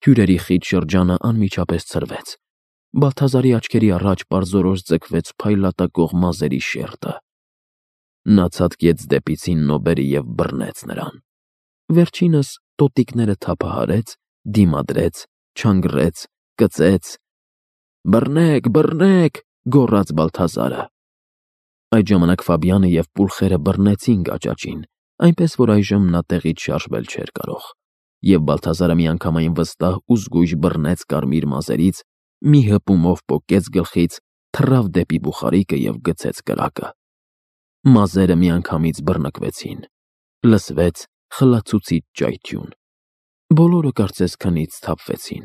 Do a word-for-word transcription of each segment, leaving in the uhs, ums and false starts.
Հյուրերի խիտ շրջանը անմիջապես ցրվեց։ Բալթազարի աչքերի առաջ պարզորոշ ձգվեց փայլատակող մազերի շերտը։ Նա ցատկեց դեպի Ցիննոբերը և բռնեց նրան։ Վերջինս տոտիկները թափահարեց, դիմադրեց, չանգռեց, կծեց. «Բռնեք, բռնեք», գոռաց Բալթազարը։ Այդ ժամանակ Ֆաբիանը և պուլխերը բռնեցին գաճաճին, այնպես որ այժմ նա տեղից շարժվել չէր կարող, և Բալթազարը միանգամայն վստահ ու զգույշ բռնեց կարմիր մազերից, մի հպումով պոկեց գլխից, թռավ դեպի բուխարիկը և գցեց կրակը։ Մազերը միանգամից բռնկվեցին։ Լսվեց խլացուցիչ ճայթյուն։ Բոլորը կարծես քնից սթափվեցին։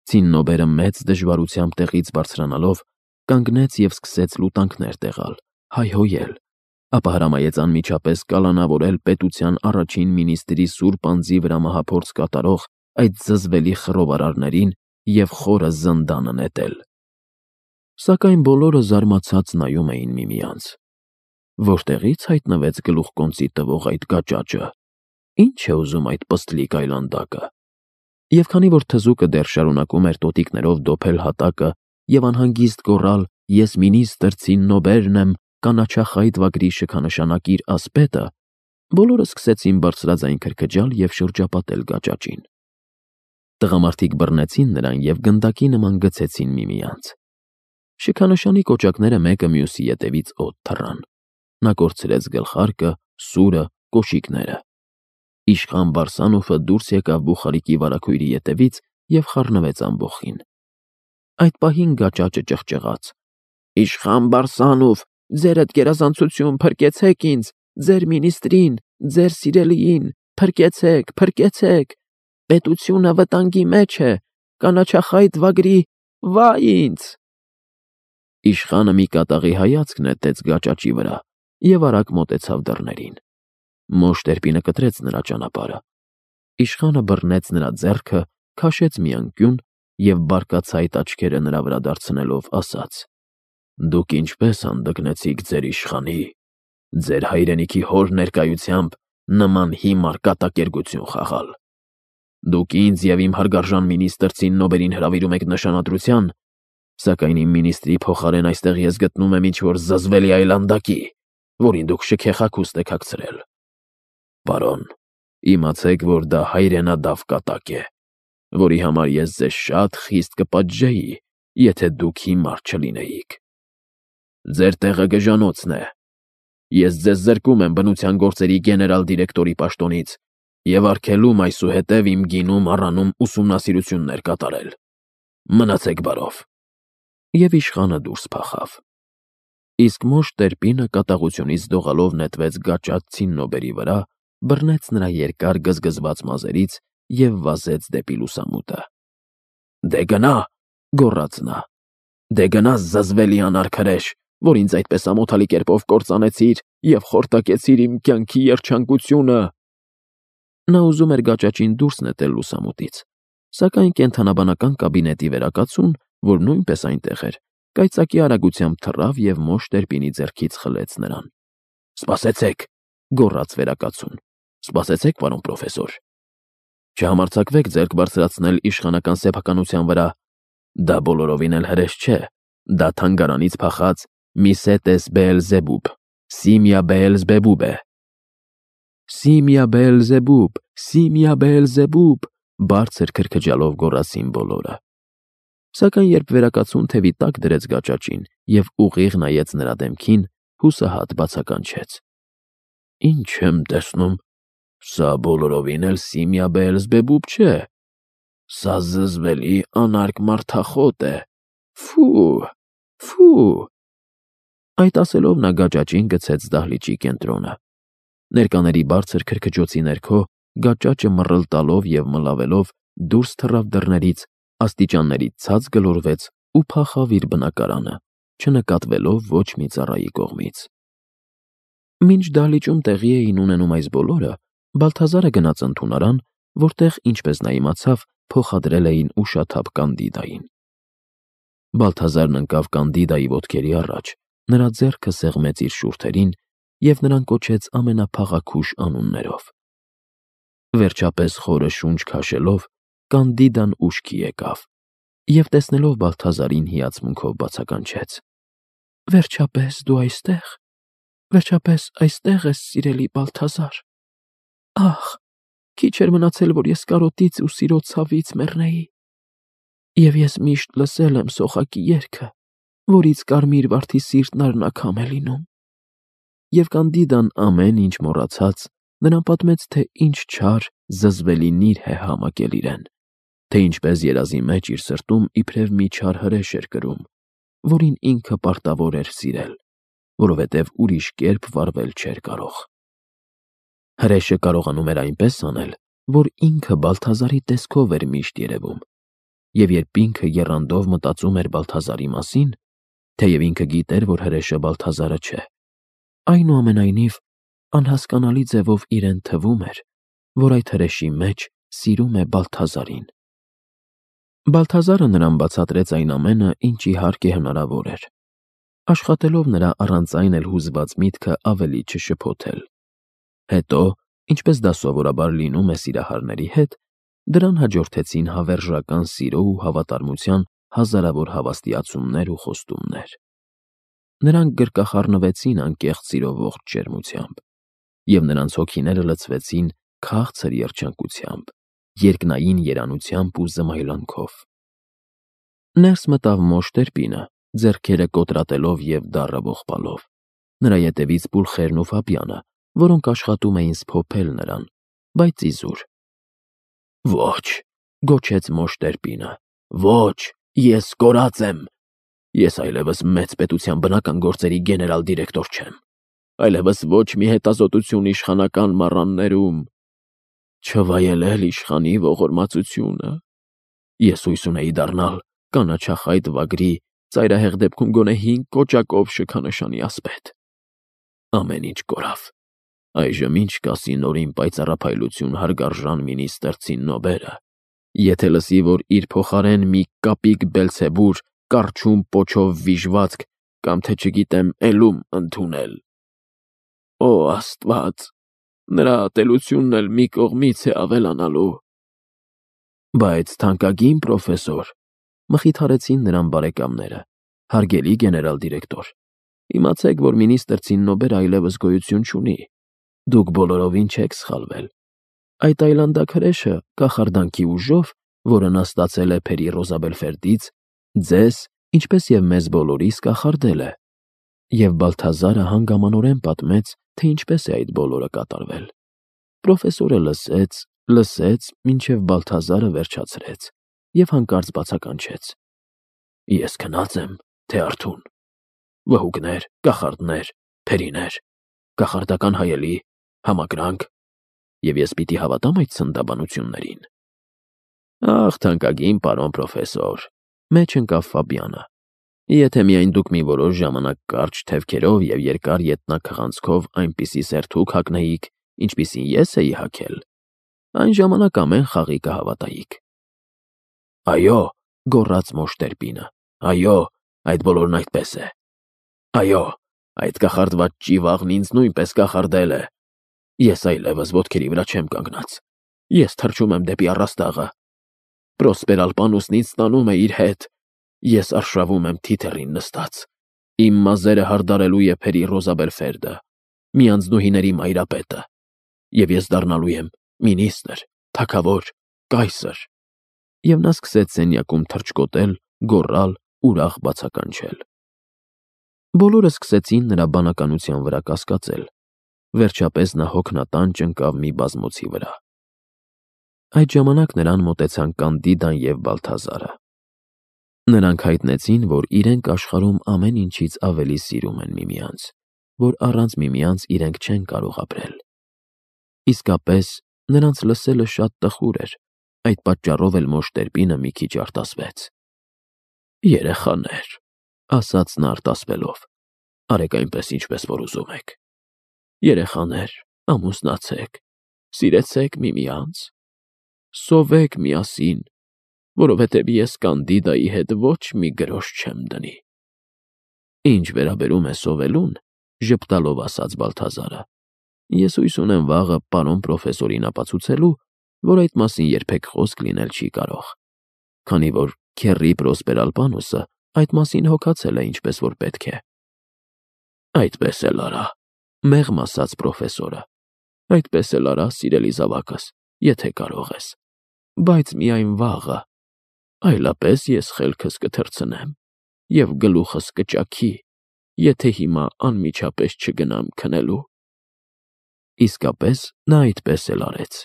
Ցիննոբերը մեծ դժվարությամբ տեղից բարձրանալով կանգնեց և սկսեց լուտանքներ տեղալ, հայհոյել, ապա հրամայեց անմիջապես կալանավորել պետության առաջին մինիստրի սուրբ անձի վրա մահափորձ կատարող այդ զզվելի խռովարարներին և խորը զնդանը նետել։ Սակայն բոլորը զարմացած նայում էին միմյանց։ Որտեղի՞ց հայտնվեց գլուխկոնծի տվող այդ գաճաճը։ Ի՞նչ է ուզում այդ պստլիկ այլանդակը։ Եվ քանի որ թզուկը դեռ շարունակում էր տոտիկներով դոփել հատակը և անհանգիստ գոռալ. «Ես մինիստր Ցիննոբերն եմ, կանաչախայտ վագրի շքանշանակ իր ասպետը», բոլորը սկսեցին բարձրաձայն քրքջալ և շրջապատել գաճաճին։ Տղամարդիկ բռնեցին նրան և գնդակի նման գցեցին միմյանց։ Շքանշանի կոճակները մեկը մյուսի ետևից օդ թռան։ Նա կորցրեց գլխարկը, սուրը, կոշիկները։ Իշխան Բարսանոֆը դուրս եկավ բուխարիկի վարագույրի ետևից և խառնվեց ամբոխին։ Այդ պահին գաճաճը ճղճղաց. «Իշխան Բարսանով, ձերդ գերազանցություն, փրկեցեք ինձ, ձեր մինիստրին, ձեր սիրելիին, փրկեցեք, փրկեցեք, պետությունը վտանգի մեջ է, կանաչախայտ վագրի, վայ ինձ»։ Իշխանը մի կատաղի հայացք նետեց գաճաճի վրա և արագ մոտեցավ դռներին։ Մոշ Տերպինը կտրեց նրա ճանապարհը։ Իշխանը բռնեց նրա ձեռքը, քաշեց մի անկյուն և բարկացայտ աչքերը նրա վրա դարձնելով ասաց. «Դուք ինչպե՞ս հանդգնեցիք ձեր իշխանի, ձեր հայրենիքի հոր ներկայությամբ նման հիմար կատակերգություն խաղալ։ Դուք ինձ և իմ հարգարժան մինիստր Ցիննոբերին հրավիրում եք նշանադրության, սակայն իմ մինիստրի փոխարեն այստեղ ես գտնում եմ ինչ-որ զզվելի այլանդակի, որին դուք շքեխագուստ եք հագցրել։ Պարոն, իմացեք, որ դա հայրենադավ կատակ է, որի համար ես ձեզ շատ խիստ կպատժեի, եթե դուք հիմար չլինեիք։ Ձեր տեղը գժանոցն է։ Ես ձեզ զրկում եմ բնության գործերի գեներալ դիրեկտորի պաշտոնից և արգելում այսուհետև իմ գինում առանում ուսումնասիրություններ կատարել։ Մնացեք բարով»։ Եվ իշխանը դուրս փախավ։ Իսկ Մոշ Տերպինը կատաղությունից դողալով նետվեց գաճաճ Ցիննոբերի վրա, բռնեց նրա երկար գզգզված մազերից և վազեց դեպի լուսամուտը։ «Դե գնա», գոռաց նա, «դե գնա զզվելի անարքրեշ, որ ինձ այդպես ամոթալի կերպով կործանեցիր և խորտակեցիր իմ կյանքի երջանկությունը»։ Նա ուզում էր գաճաճին դուրս նետել լուսամուտից, սակայն կենդանաբանական կաբինետի վերակացուն, որ նույնպես այնտեղ էր, կայծակի արագությամբ թռավ և Մոշ Տերպինի ձեռքից խլեց նրան։ «Սպասեցեք», գոռաց վերակացուն, «սպասեցեք, պարոն պրոֆեսոր։ Չհամարձակվեք ձեռք բարձրացնել իշխանական սեփականության վրա, դա բոլորովին էլ հրես չէ, դա թանգարանից փախած Միսետես Բեելզեբուբ, Սիմիա Բեելզեբուբ է»։ «Սիմիա Բեելզեբուբ, Սիմիա Բեելզեբուբ», բարձր քրքջալով գոռացին բոլորը։ Սակայն երբ վերակացուն թևի տակ դրեց գաճաճին և ուղիղ նայեց նրա դեմքին, հուսահատ բացականչեց. «Ինչ եմ տեսնում, սա բոլորովին էլ Սիմիա Բեելզեբուբ չէ, սա զզվելի անարգ մարդախոտ է, ֆու, ֆու»։ Այդ ասելով նա գաճաճին գցեց դահլիճի կենտրոնը։ Ներկաների բարձր քրքջոցի ներքո գաճաճը մռլ տալով և մլավելով դուրս թռավ դռներից, աստիճաններից ցած գլորվեց ու փախավ իր բնակարանը, չնկատվելով ոչ մի ծառայի կողմից։ Մինչ դահլիճում տեղի էին ունենում այս բոլորը, Բալթազարը գնաց ընդունարան, որտեղ, ինչպես նա իմացավ, փոխադրել էին ուշաթափ Կանդիդային։ Բալթազարն ընկավ Կանդիդայի ոտքերի առաջ, նրա ձեռքը սեղմեց իր շուրթերին և նրան կոչեց ամենափաղաքուշ անուններով։ Վերջապես խորը շունչ քաշելով, Կանդիդան ուշքի եկավ և տեսնելով Բալթազարին հիացմունքով բացականչեց. «Վերջապես դու այստեղ, վերջապես այստեղ ես, սիրելի Բալթազար։ Ախ, քիչ էր մնացել, որ ես կարոտից ու սիրո ցավից մեռնեի։ Եվ ես միշտ լսել եմ սոխակի երգը, որից կարմիր վարդի սիրտն արնաքամ է լինում»։ Եվ Կանդիդան ամեն ինչ մոռացած նրան պատմեց, թե ինչ չար, զզվելի նիր է համակել իրեն, թե ինչպես երազի մեջ իր սրտում իբրև մի չար հրեշ էր կրում, որին ինքը պարտավոր էր սիրել, որովհետև ուրիշ կերպ վարվել չէր կարող։ Հրեշը կարողանում էր այնպես անել, որ ինքը Բալթազարի տեսքով էր միշտ երևում, և երբ ինքը եռանդով մտածում էր Բալթազարի մասին, թեև ինքը գիտեր, որ հրեշը Բալթազարը չէ, այնուամենայնիվ անհասկանալի ձևով իրեն թվում էր, որ այդ հրեշի մեջ սիրում է Բալթազարին։ Բալթազարը նրան բացատրեց այն ամենը, ինչ իհարկե հնարավոր էր, աշխատելով նրա առանց այն էլ հուզված միտքը ավելի չշփոթել։ Հետո, ինչպես դա սովորաբար լինում է սիրահարների հետ, դրան հաջորդեցին հավերժական սիրո ու հավատարմության հազարավոր հավաստիացումներ ու խոստումներ։ Նրանք գրկախառնվեցին անկեղծ սիրո ողջ ջերմությամբ, և նրանց հոգիները լցվեցին քաղցր երջանկությամբ, երկնային երանությամբ ու զմայլանքով։ Ներս մտավ Մոշտերպինը, ձեռքերը կոտրատելով և դառը ողբալով, նրա ետևից Պուլխերն ու Ֆաբյանը, որոնք աշխատում էին սփոփել նրան, բայց իզուր։ «Ոչ», գոչեց Մոշտերպինը, «ոչ, ես կորած եմ։ Ես այլևս մեծ պետության բնական գործերի գեներալ դիրեկտոր չեմ, այլևս ոչ մի հետազոտություն իշխանական մառաններում, չվայելել իշխանի ողորմածությունը։ Ես հույս ունեի դառնալ կանաչախայտ վագրի, ծայրահեղ դեպքում գոնե հինգ կոճակով շքանշանի ասպետ։ Ամեն ինչ կորավ։ Այժմ ինչ կասի նորին պայծառափայլություն հարգարժան մինիստր Ցիննոբերը, եթե լսի, որ իր փոխարեն մի կապիկ Բելցեբուր կառչում պոչով վիժվածք կամ թե չգիտեմ էլում ընդունել։ Օ Աստված, նրա ատելությունն էլ մի կողմից է ավելանալու»։ Բայց թանկագին պրոֆեսոր, մխիթարեցին նրան բարեկամները, հարգելի գեներալ դիրեկտոր, իմացեք, որ մինիստր Ցիննոբերը այլևս գոյություն չունի։ Դուք բոլորովին չեք սխալվել։ Այդ այլանդակ հրեշը կախարդանքի ուժով, որը նա ստացել է Փերի Ռոզաբելֆերդից, ձեզ, ինչպես և մեզ բոլորիս, կախարդել է։ Եվ Բալթազարը հանգամանորեն պատմեց, թե ինչպես է այդ բոլորը կատարվել։ Պրոֆեսորը լսեց, լսեց, մինչև Բալթազարը վերջացրեց և հանկարծ բացականչեց. «Ես քնած եմ, թե արթուն։ Վհուկներ, կախարդներ, փերիներ, կախարդական հայելի, համակրանք, և ես պիտի հավատամ այդ ցնդաբանություններին»։ Ախ, թանկագին պարոն պրոֆեսոր, մեջ ընկավ Ֆաբյանը, եթե միայն դուք մի որոշ ժամանակ կարճ թևքերով և երկար ետնաքղանցքով այնպիսի սերթուք հագնեիք, ինչպիսին ես էի հագել, այն ժամանակ ամեն խաղի կհավատայիք։ Այո, գոռաց Մոշտերպինը, այո, այդ բոլորն այդպես է։ Այո, այդ կախարդված ճիվաղն ինձ նույնպես կախարդել է։ Ես այլևս ոտքերի վրա չեմ կանգնած։ Ես թռչում եմ դեպի առաստաղը։ Պրոսպերալ պանուսն ինձ տանում է իր հետ։ Ես արշավում եմ թիթեռին նստած։ Իմ մազերը հարդարելու է Փերի Ռոզաբելֆերդը, մի անձնուհիների մայրապետը, և ես դառնալու եմ մինիստր, թագավոր, կայսր։ Եվ նա սկսեց սենյակում թռչկոտել, գոռալ, ուրախ բացականչել։ Բոլորը սկսեցին նրա բանականության վրա կասկածել։ Վերջապես նա հոգնատանջ ընկավ մի բազմոցի վրա։ Այդ ժամանակ նրան մոտեցան Կանդիդան և Բալթազարը։ Նրանք հայտնեցին, որ իրենք աշխարհում ամեն ինչից ավելի սիրում են միմյանց, որ առանց միմյանց իրենք չեն կարող ապրել։ Իսկապես, նրանց լսելը շատ տխուր էր, այդ պատճառով էլ Մոշտերպինը մի քիչ արտասվեց։ Երեխաներ, ասաց նա արտասվելով, արեք այնպես, ինչպես որ ուզում եք։ Երեխաներ, ամուսնացեք, սիրեցեք միմյանց, սովեք միասին, որովհետև ես Կանդիդայի հետ ոչ մի գրոշ չեմ դնի։ Ինչ վերաբերում է սովելուն, ժպտալով ասաց Բալթազարը, ես հույս ունեմ վաղը պարոն պրոֆեսորին ապացուցելու, որ այդ մասին երբեք խոսք լինել չի կարող, քանի որ քեռի Պրոսպերալպանոսը այդ մասին հոգացել է ինչպես որ պետք է։ Այդպես էլ արա, մեղմ ասաց պրոֆեսորը, այդպես էլ արա, սիրելի զավակս, եթե կարող ես, բայց միայն վաղը, այլապես ես խելքս կթռցնեմ և գլուխս կճաքի, եթե հիմա անմիջապես չգնամ քնելու։ Իսկապես նա այդպես էլ արեց։